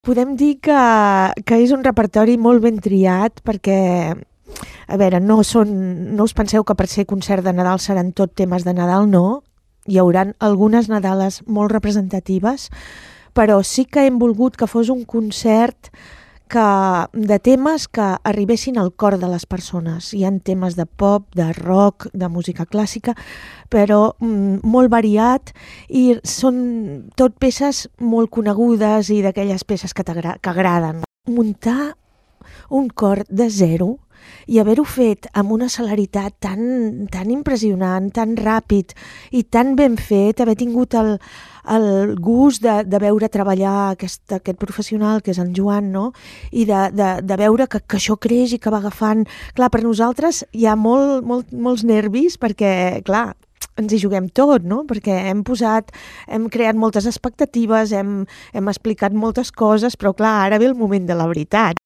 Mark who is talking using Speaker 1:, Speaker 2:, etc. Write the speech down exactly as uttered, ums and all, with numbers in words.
Speaker 1: Podem dir que, que és un repertori molt ben triat perquè, a veure, no, són, no us penseu que per ser concert de Nadal seran tot temes de Nadal, no. Hi hauran algunes Nadales molt representatives, però sí que hem volgut que fos un concert que, de temes que arribessin al cor de les persones. Hi ha temes de pop, de rock, de música clàssica, però mm, molt variat i són tot peces molt conegudes i d'aquelles peces que, que agraden. Muntar un cor de zero i haver-ho fet amb una celeritat tan, tan impressionant, tan ràpid i tan ben fet, haver tingut el, el gust de, de veure treballar aquest, aquest professional que és en Joan, no? I de, de, de veure que, que això creix i que va agafant. Clar, per nosaltres hi ha molt, molt, molts nervis perquè, clar, ens hi juguem tot, no? Perquè hem posat, hem creat moltes expectatives, hem, hem explicat moltes coses, però clar, ara ve el moment de la veritat.